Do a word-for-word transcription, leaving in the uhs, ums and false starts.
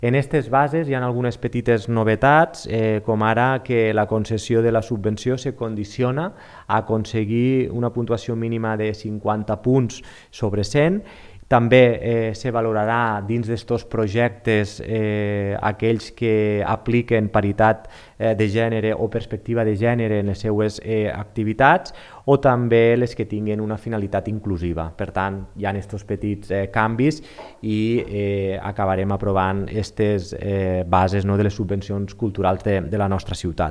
En aquestes bases hi ha algunes petites novetats, eh, com ara que la concessió de la subvenció se condiciona a aconseguir una puntuació mínima de cinquanta punts sobre cent. També eh, se valorarà dins d'estos projectes eh, aquells que apliquen paritat eh, de gènere o perspectiva de gènere en les seues eh, activitats, o també les que tinguen una finalitat inclusiva. Per tant, hi ha aquests petits eh, canvis i eh, acabarem aprovant aquestes eh, bases, no, de les subvencions culturals de, de la nostra ciutat.